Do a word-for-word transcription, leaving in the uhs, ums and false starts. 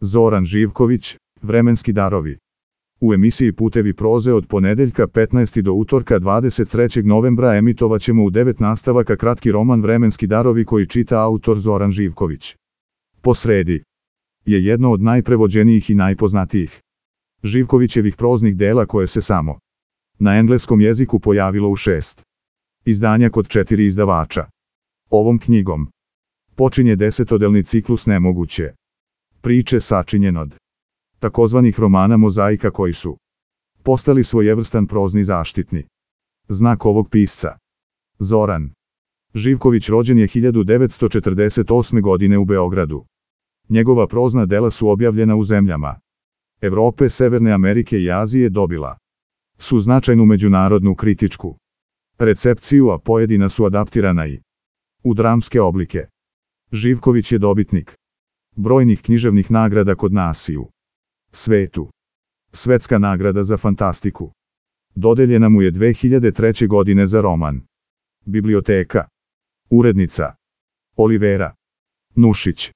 Zoran Živković, Vremenski darovi. U emisiji Putevi proze od ponedeljka petnaestog do utorka dvadeset trećeg novembra emitovaćemo u devet nastavaka kratki roman Vremenski darovi koji čita autor Zoran Živković. Po sredi je jedno od najprevođenijih i najpoznatijih Živkovićevih proznih dela koje se samo na engleskom jeziku pojavilo u šest izdanja kod četiri izdavača. Ovom knjigom počinje desetodelni ciklus Nemoguće priče sačinjen od takozvanih romana mozaika koji su postali svojevrstan prozni zaštitni znak ovog pisca. Zoran Živković rođen je hiljadu devetsto četrdeset osme. godine u Beogradu. Njegova prozna dela su objavljena u zemljama Evrope, Severne Amerike i Azije, dobila su značajnu međunarodnu kritičku recepciju, a pojedina su adaptirana i u dramske oblike. Živković je dobitnik brojnih književnih nagrada kod nas i u svetu. Svetska nagrada za fantastiku dodeljena mu je dve hiljade treće. godine za roman Biblioteka. Urednica Olivera Nušić.